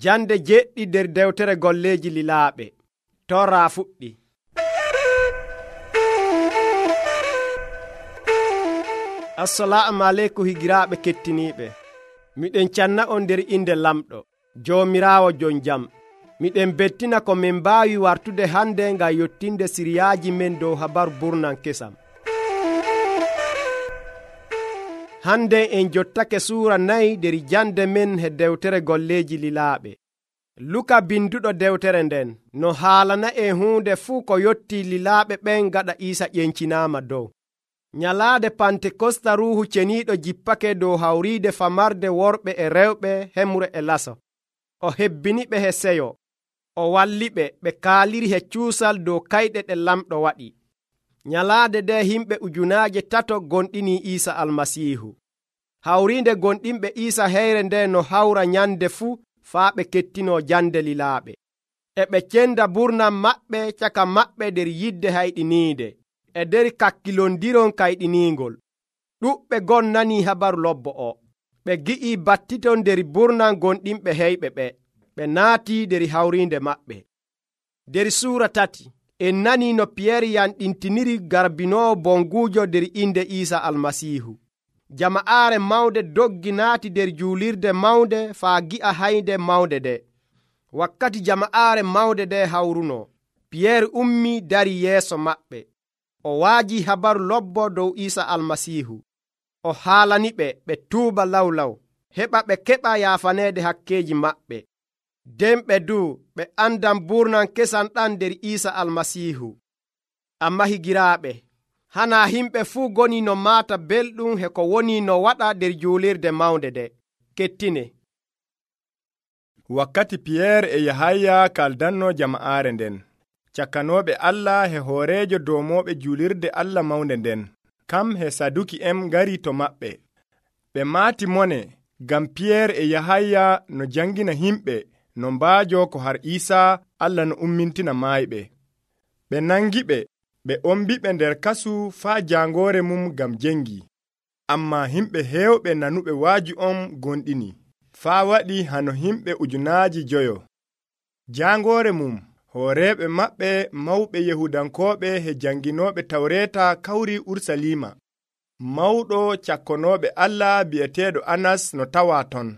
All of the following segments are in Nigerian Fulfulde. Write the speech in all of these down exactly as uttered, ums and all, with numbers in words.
Jande jeɗɗi nder dewtere golleeji lilaaɓe. Torra fuɗɗi. Assalamu aleykum higiraaɓe kettiniiɓe. Miɗen canna on nder inde lamɗo Joomiraawo jon jam. Miɗen bettina ko min mbaawi wartude hande ngam yottinde siriyaaji men dow habaru burnan kesam. Hande en jottake suura nayi nder jande men he dewtere golleeji lilaaɓe. Luka binduɗo dewtere nden no haalana en huunde fuu ko yotti lilaaɓe ɓen gaɗa Iisa ƴencinaama dow. Nyalaade Pantekosta Ruuhu Ceniiɗo jippake dow hawriide famarde worɓe e rewɓe hemre e laso. O hebbiniɓe he seyo. O walliɓe ɓe kaaliri he cuusal dow kayɗe ɗe lamɗo waɗi. Nyalaade nde himɓe ujunaaje tato gonɗini Iisa Almasiihu. Hawriinde gonɗinɓe Iisa heyre nde no hawra nyande fuu faa ɓe kettino jande lilaaɓe. E ɓe cenda burnam maɓɓe caka maɓɓe nder yidde hayɗiniide e nder kakkilondiron kayɗiniingol. Ɗuɓɓe gon nanii habaru lobbo o. Ɓe gi'ii battiton nder burnam gonɗinɓe heyɓe ɓe. Ɓe naatii nder hawriinde maɓɓe. Nder suura tati en nanii no Piyeer yanɗintiniri garbinoowo bonguujo nder inde Iisa Almasiihu. Jama'aare mawnde doggi naati nder juulirde mawnde faa gi'a haynde mawnde nde. Wakkati jama'aare mawnde nde hawrunoo, Piyeer ummii dari yeeso maɓɓe. O waaji habaru lobbo dow Iisa Almasiihu. O haalaniɓe ɓe tuuba lawlaw, heɓa ɓe keɓa yaafaneede hakkeeji maɓɓe. Nden ɓe duu ɓe andan burnan kesan ɗan nder Iisa Almasiihu. Amma higiraaɓe, hanaa himɓe fuu goni no maata belɗum he ko woni no waɗa nder juulirde mawnde nde. Kettine. Wakkati Piyeer e Yahaya kaldanno jama'aare nden, cakkanooɓe Allah he hooreejo doomooɓe juulirde Allah mawnde nden, kam he Saduki en ngari to maɓɓe. Ɓe maati mone ngam Piyeer e Yahaya no jangina himɓe no mbaajo ko har Iisaa Allah no ummintina maayɓe. Ɓe nangiɓe, ɓe ombiɓe nder kasu faa jaangoore mum ngam jengi. Ammaa himɓe heewɓe nanuɓe waaji on gonɗini, faa waɗi hano himɓe ujunaaji joyo. Jaangoore mum, hooreeɓe maɓɓe mawɓe Yahudankooɓe he janginooɓe Tawreeta kawri Ursaliima. Mawɗo cakkonooɓe Allah bi'eteeɗo Anas no tawaa ton.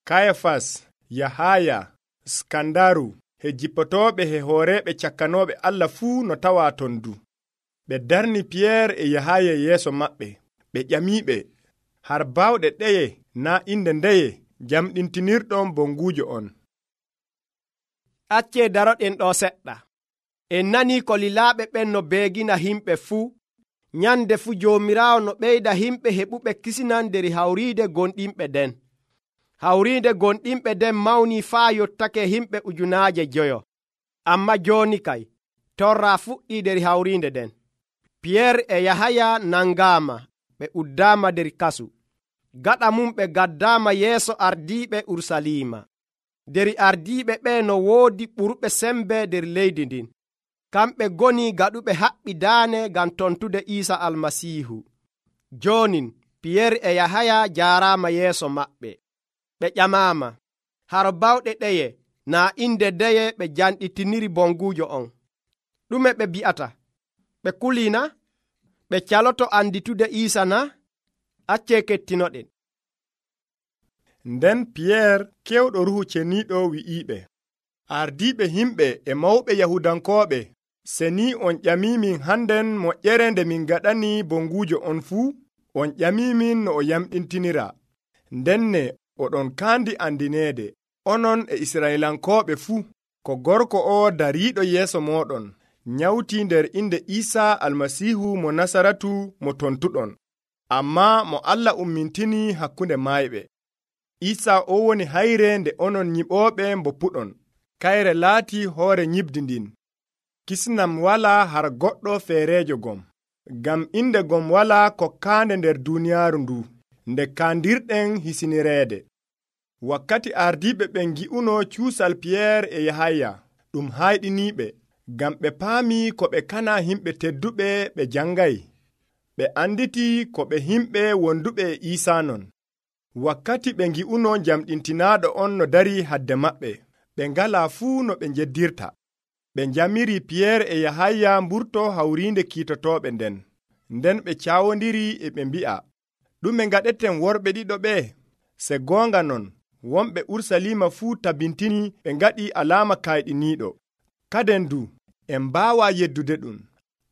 Kayafas, Yahaya, Skandaru, he jippotooɓe he hooreeɓe cakkanooɓe Allah fuu no tawaa ton du. Ɓe darni Piyeer e Yahaya yeeso maɓɓe. Ɓe ƴamiiɓe, har baawɗe ɗeye naa inde ndeye jamɗintinirɗon bonguujo on. Accee daroɗen ɗo seɗɗa. En nanii ko lilaaɓe ɓen no beegina himɓe fuu. Nyande fuu Joomiraawo no ɓeyda himɓe heɓuɓe kisinan nder hawriide gonɗinɓe den. Hawriide gonɗinɓe den mawnii faa yottake himɓe ujunaaje joyo. Amma jooni kay, torra fuɗɗii nder hawriinde den. Piyeer e Yahaya nangaama, ɓe uddaama nder kasu. Gaɗa mum ɓe gaddaama yeeso ardiiɓe Ursaliima. Nder ardiiɓe ɓe no woodi ɓurɓe sembe nder leydi ndin. Kamɓe goni gaɗuɓe haɓɓi daane ngam tontude Iisa Almasiihu. Joonin Piyeer e Yahaya jaaraama yeeso maɓɓe. Ɓe ƴamaama, haro bawɗe ɗeye naa inde ndeye ɓe janɗitiniri bonguujo on. Ɗume ɓe bi'ata? Ɓe kulina? Ɓe caloto anditude Iisa na? Accee kettinoɗen. Nden Piyeer kewɗo Ruuhu Ceniiɗo wi'iiɓe, ardiiɓe himɓe e mawɓe Yahudankooɓe, se ni on ƴamiimin hannden moƴƴere nde min gaɗani bonguujo on fuu, on ƴamiimin no o yamɗintinira. Ndenne oɗon kaandi andineede, onon e Israylankooɓe fuu, ko gorko o dariiɗo yeeso mooɗon, nyawtii nder inde Iisaa Almasiihu mo Nasaratu mo tontuɗon, ammaa mo Allah ummintini hakkunde maayɓe. Iisaa o woni hayre nde onon nyiɓooɓe mboppuɗon. Kayre laati hoore nyibdi ndin. Kisnam walaa har goɗɗo feereejo gom, ngam inde gom walaa kokkaande nder duuniyaaru ndu, nde kaandirɗen hisinireede. Wakkati ardiiɓe ɓen ngi'uno cuusal Piyeer e Yahaya, ɗum hayɗiniiɓe, ngam ɓe paamii ko ɓe kana himɓe tedduɓe ɓe jangay. Ɓe anditi ko ɓe himɓe wonduɓe e Iisaa non. wakkati ɓe ngi'uno jamɗintinaaɗo on no dari hadde maɓɓe, ɓe ngalaa fuu no ɓe njeddirta. Ɓe njamiri Piyeer e Yahaya mburto hawriinde kiitotooɓe nden. Nden ɓe caawondiri e ɓe mbi'a, ɗume ngaɗeten worɓe ɗiɗo ɓe? Se goonga non, wonɓe Urusalima fuu tabintini ɓe ngaɗi alaama kayɗiniiɗo. Kaden du, en mbaawaa yeddude ɗum.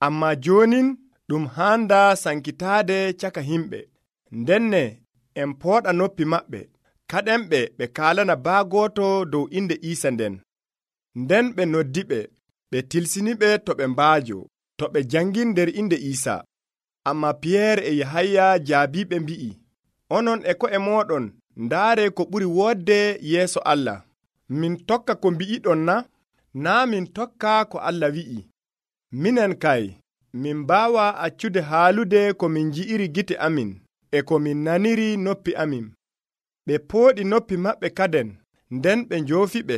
Ammaa joonin ɗum haandaa sankitaade caka himɓe. Ndenne en pooɗa noppi maɓɓe, kaɗenɓe ɓe kaalana baagooto dow inde Iisa nden. Nden ɓe noddiɓe, ɓe tilsiniɓe to ɓe mbaajo, to ɓe jangin nder inde Iisa. Ammaa Piyeer e Yahaya jaabiiɓe mbi'i, onon e ko'e mooɗon ndaare ko ɓuri woodde yeeso Allah. Min tokka ko mbi'iɗon na? Naa min tokka ko Allah wi'i. Minen kay, min mbaawaa accude haalude ko min nji'iri gite amin e ko min naniri noppi amin. Ɓe pooɗi noppi maɓɓe kaden, nden ɓe njoofiɓe.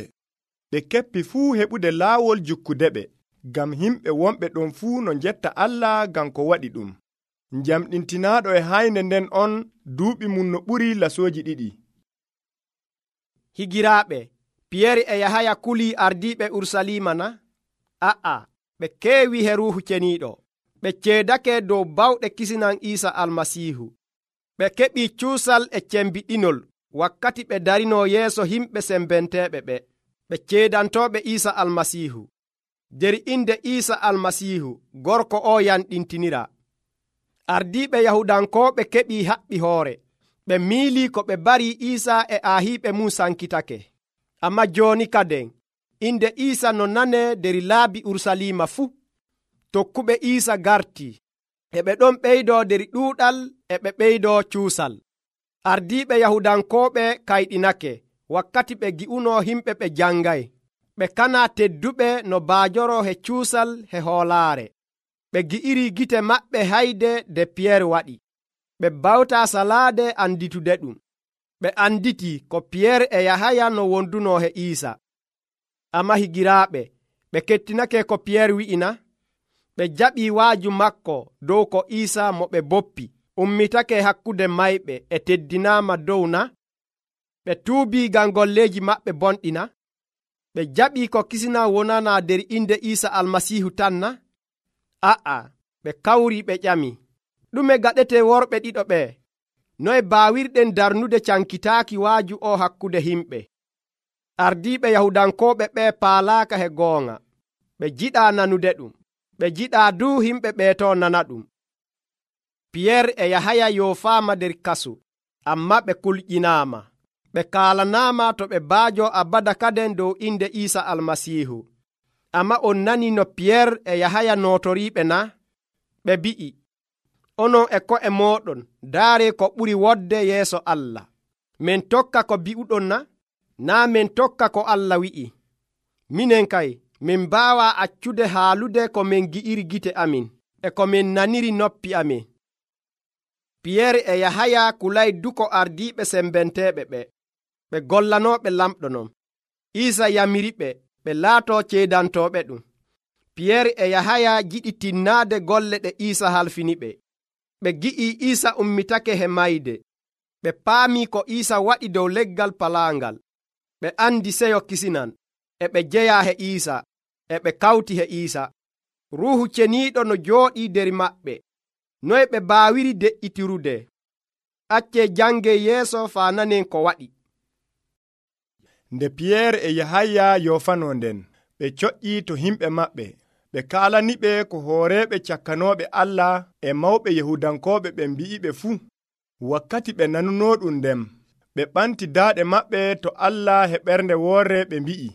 Ɓe keppi fuu heɓude laawol jukkudeɓe, ngam himɓe wonɓe ɗon fuu no njetta Allah ngam ko waɗi ɗum. Njamɗintinaaɗo e haynde nden on duuɓi mum no ɓuri lasooji ɗiɗi. Higiraaɓe, Piyeer e Yahaya kulii ardiiɓe Urusalima na? A'a, ɓe keewi he Ruuhu Ceniiɗo. Ɓe ceedake dow bawɗe kisinan Iisa Almasiihu. Ɓe keɓii cuusal e cembiɗinol wakkati ɓe darinoo yeeso himɓe sembenteeɓe ɓe. Ɓe ceedantooɓe Iisa Almasiihu. Der inde Iisa Almasiihu, gorko o yanɗintinira. Ardiiɓe Yahudankooɓe keɓii haɓɓi hoore. Ɓe miilii ko ɓe barii Iisa e aahiiɓe mum sankitake. Ammaa jooni kaden, inde Iisa no nanee der laabi Urusalima fuu. Tokkuɓe Iisa gartii, e ɓe ɗon ɓeydoo der ɗuuɗal e ɓe ɓeydoo cuusal. Ardiiɓe Yahudankooɓe kayɗinake wakkati ɓe gi'unoo himɓe ɓe jangay. Ɓe kanaa tedduɓe no baajoroo he cuusal he hoolaare. Ɓe gi'iri gite maɓɓe hayde de Piyeer waɗi. Ɓe bawtaa salaade anditude ɗum. Ɓe anditii ko Piyeer e Yahaya no wondunoo he Iisa. Ammaa higiraaɓe, ɓe kettinake ko Piyeer wi'ina. Ɓe jaɓii waaju makko dow ko Iisa mo ɓe boppi ummitake hakkude mayɓe e teddinaama dow na? Ɓe tuubii ngam golleeji maɓɓe bonɗi na? Ɓe jaɓii ko kisina wonana der inde Iisa Almasiihu tan na? A'a, ɓe kawrii ɓe ƴami, ɗume gaɗete worɓe ɗiɗo ɓe? Noye baawirɗen darnude cankitaaki waaju o hakkude himɓe? Ardiiɓe Yahudankooɓe ɓe paalaaka he goonga. Ɓe jiɗaa nanude ɗum. Ɓe jiɗaa duu himɓe ɓeeto nana ɗum. Piyeer e Yahaya yoofaama der kasu, ammaa ɓe kulƴinaama. Ɓe kaalanaama to ɓe baajo abada kaden dow inde Iisa Almasiihu. Ammaa on nani no Piyeer e Yahaya nootoriiɓe na? Ɓe mbi'i, onon e ko'e mooɗon ndaare ko ɓuri wodde yeeso Allah. Min tokka ko bi'uɗon na? Naa min tokka ko Allah wi'i. Minen kay, min mbaawaa accude haalude ko min gi'iri gite amin e ko min naniri noppi amin. Piyeer e Yahaya kulay duko ardiiɓe sembenteeɓe ɓe. Ɓe gollanooɓe lamɗo non. Iisa yamiriɓe ɓe laatoo ceedantooɓe ɗum. Piyeer e Yahaya jiɗi tinnaade golle ɗe Iisa halfini ɓe. Ɓe gi'ii Iisa ummitake he mayde. Ɓe paamii ko Iisa waɗi dow leggal palaangal. Ɓe andi seyo kisinan, e ɓe jeyaa he Iisa, e ɓe kawti he Iisa. Ruuhu Ceniiɗo no jooɗii der maɓɓe. Noye ɓe baawiri de'itirude? Accee jangee yeeso faa nanen ko waɗi. Nde Piyeer e Yahaya yoofanoo nden, ɓe coƴƴii to himɓe maɓɓe. Ɓe kaalaniɓe ko hooreeɓe cakkanooɓe Allah e mawɓe Yahudankooɓe ɓe mbi'iɓe fuu. Wakkati ɓe nanunoo ɗum ndem, ɓe ɓanti daaɗe maɓɓe to Allah he ɓernde woorre ɓe mbi'i,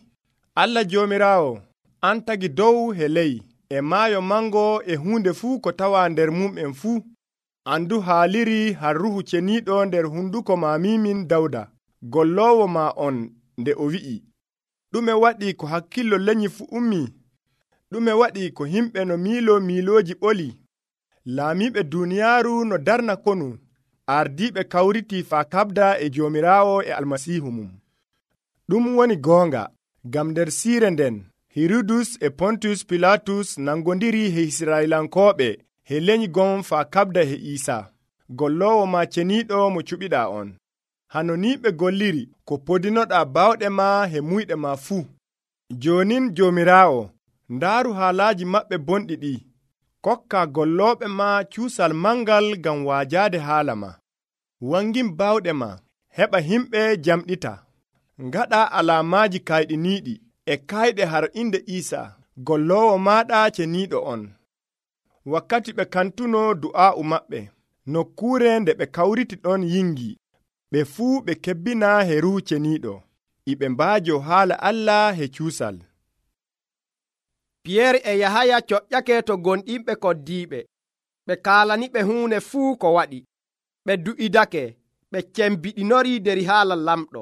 Allah Joomiraawo, an tagi dow he ley, e maayo mango e huunde fuu ko tawaa nder mum'en fuu. Andu haaliri har Ruuhu Ceniiɗo nder hunduko maamimin Dawda, golloowo maa on, nde o wi'i, ɗume waɗi ko hakkillo lenyi fu ummii? Ɗume waɗi ko himɓe no miilo miilooji ɓoli? Laamiiɓe duuniyaaru no darna konu, ardiiɓe kawritii faa kaɓda e Joomiraawo e Almasiihu mum. Ɗum woni goonga, ngam nder siire nden, Hirudus e Pontus Pilatus nangondiri he Israa'ilankooɓe he lenyi gon faa kaɓda he Iisa, golloowo maa ceniiɗo mo cuɓiɗaa on. hanoniiɓe golliri ko podinoɗaa bawɗe ma he muyɗe ma fuu. Jonin Joomiraawo, ndaaru haalaaji maɓɓe bonɗi ɗi. Kokka gollooɓe ma cuusal mangal ngam waajaade haala ma. Wangin bawɗe ma, heɓa himɓe jamɗita. Ngaɗa alaamaaji kayɗiniiɗi e kayɗe har inde Iisaa, golloowo maaɗa ceniiɗo on. Wakkati ɓe kantuno du'aa'u maɓɓe, nokkuure nde ɓe kawriti ɗon yingi, ɓe fuu ɓe kebbina he Ruuhu Ceniiɗo, e ɓe mbaajo haala Allah he cuusal. Piyeer e Yahaya coƴƴake to gonɗinɓe koddiiɓe. Ɓe kaalaniɓe huune fuu ko waɗi. Ɓe du'idake, ɓe cembiɗinori der haala lamɗo.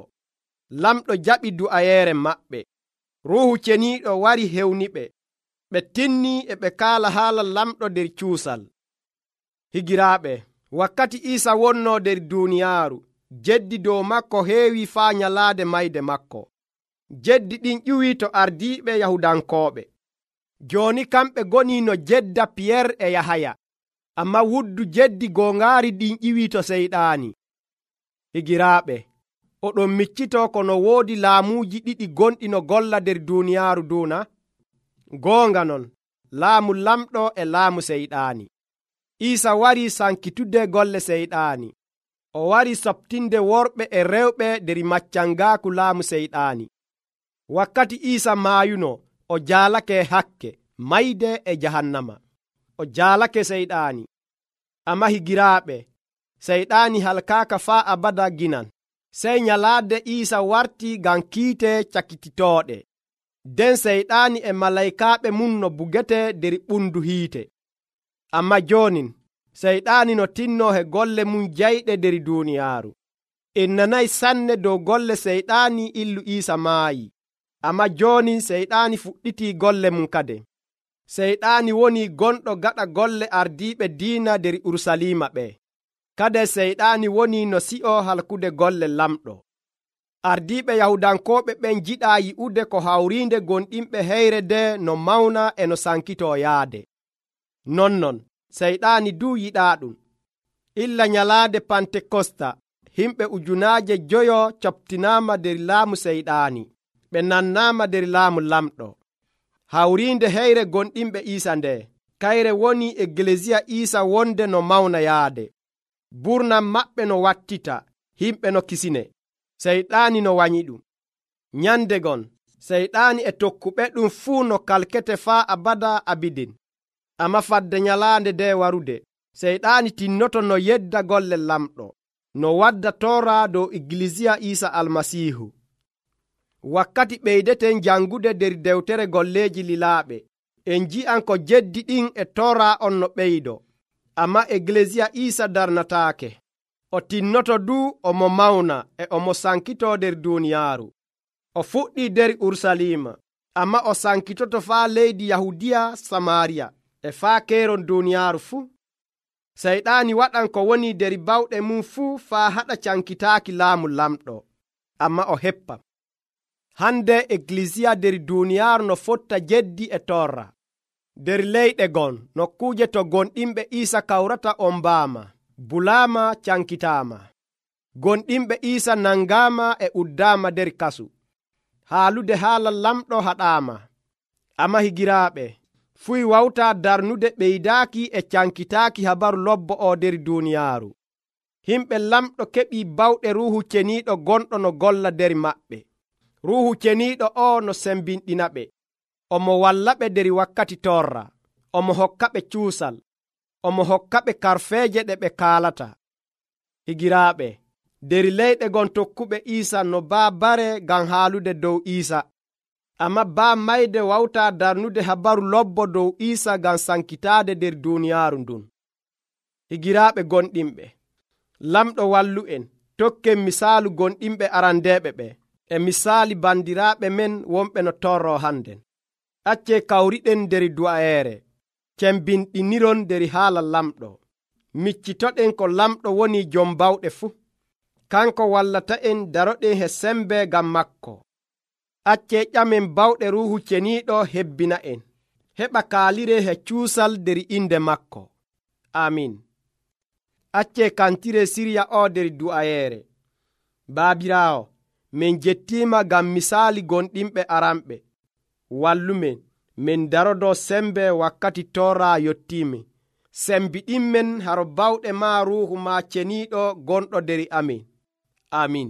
Lamɗo jaɓi du'ayeere maɓɓe. Ruuhu Ceniiɗo wari hewniɓe. Ɓe tinni e ɓe kaala haala lamɗo der cuusal. Higiraaɓe, wakkati Iisa wonnoo der duuniyaaru, jeddi dow makko heewi faa nyalaade mayde makko. Jeddi ɗin ƴuwii to ardiiɓe Yahudankooɓe. Jooni kamɓe ngoni no jedda Piyeer e Yahaya, ammaa wuddu jeddi goongaari ɗin ƴiwii to Seyɗaani. Higiraaɓe, oɗon miccitoo kono woodi laamuuji ɗiɗi gonɗi no golla der duuniyaaru duuna. Goonga non, laamu lamɗo e laamu Seyɗaani. Iisa warii sankitude golle Seyɗaani. O warii soɓtinde worɓe e rewɓe der maccangaaku laamu Seyɗaani. Wakkati Iisa maayuno, o jaalake hakke, mayde e jahannama. O jaalake Seyɗaani. Amma higiraaɓe, Seyɗaani halkaaka faa abada ginan. Sey nyalaade Iisa wartii ngam kiite cakititooɗe. Den Seyɗaani e malaykaaɓe mum no bugete der ɓundu hiite. Amma joonin, Seyɗaani no tinnoo he golle mum jayɗe der duuniyaaru. En nanayi sanne dow golle Seyɗaani illu Iisa maayi. Amma joonin Seyɗaani fuɗɗitii golle mum kade. Seyɗaani woni gonɗo gaɗa golle ardiiɓe diina der Urusalima ɓe. Kade Seyɗaani woni no si'o halkude golle lamɗo. Ardiiɓe Yahudankooɓe ɓen jiɗaa yi'ude ko hawriinde gonɗinɓe heyre nde no mawna e no sankitoo yaade. Nonnon, Seyɗaani duu yiɗaa ɗum. Illa nyalaade Pantekosta, himɓe ujunaaje joyo coɓtinaama der laamu Seyɗaani. Ɓe nannaama der laamu lamɗo. Hawriinde heyre gonɗinɓe Iisa nde, kayre woni Egleziya Iisa wonde no mawna yaade. Burnam maɓɓe no wattita, himɓe no kisine. Seyɗaani no wanyi ɗum. Nyande gon, Seyɗaani e tokkuɓe ɗum fuu no kalkete faa abada abidin. Amma fadde nyalaande nde warude, Seyɗaani tinnoto no yedda golle lamɗo, no wadda toora dow Egleziya Iisa Almasiihu. Wakkati ɓeydeten jangude der dewtere golleeji lilaaɓe, en ji'an ko jeddi ɗin e toora on no ɓeydo. Amma Egleziya Iisa darnataake. O tinnoto duu omo mawna e omo sankitoo der duuniyaaru. O fuɗɗii der Urusalima, amma o sankitoto faa leydi Yahudiya Samaariya e faa keeron duuniyaaru fuu. Seyɗaani waɗan ko woni der bawɗe mum fuu faa haɗa cankitaaki laamu lamɗo, amma o heppa. Hande Egleziya der duuniyaaru no fotta jeddi e torra. Der leyɗe gon, nokkuuje to gonɗinɓe Iisa kawrata on mbaama, bulaama cankitaama. Gonɗinɓe Iisa nangaama e uddaama der kasu. Haalude haala lamɗo haɗaama. Amma higiraaɓe, fuy wawtaa darnude ɓeydaaki e cankitaaki habaru lobbo o der duuniyaaru. Himɓe lamɗo keɓii bawɗe Ruuhu Ceniiɗo gonɗo no golla der maɓɓe. Ruuhu Ceniiɗo o no sembinɗinaɓe. Omo wallaɓe der wakkati torra. Omo hokkaɓe cuusal. Omo hokkaɓe karfeeje ɗe ɓe kaalata. Higiraaɓe, der leyɗe gon tokkuɓe Iisa no baa bare ngam haalude dow Iisa. Amma baa mayde wawtaa darnude habaru lobbo dow Iisa ngam sankitaade der duuniyaaru ndun. Higiraaɓe gonɗinɓe, lamɗo wallu en, tokken misaalu gonɗinɓe arandeeɓe ɓe, e misaali bandiraaɓe men wonɓe no torro hannden. Accee kawriɗen der du'ayeere, cembinɗiniron der haala lamɗo. Miccitoɗen ko lamɗo woni jom bawɗe fuu. Kanko wallata en daroɗen he sembe ngam makko. Accee ƴamen bawɗe Ruuhu Ceniiɗo hebbina en, heɓa kaalire he cuusal der inde makko. Amin. Accee kantire sirya o der du'ayeere. Baabiraawo, min jettiima ngam misaali gonɗinɓe aranɓe. Wallumen min darodo sembe wakkati torra yottiimi. Sembiɗinmen haro bawɗe maa ruuhu maa ceniiɗo gonɗo der amin. Amin.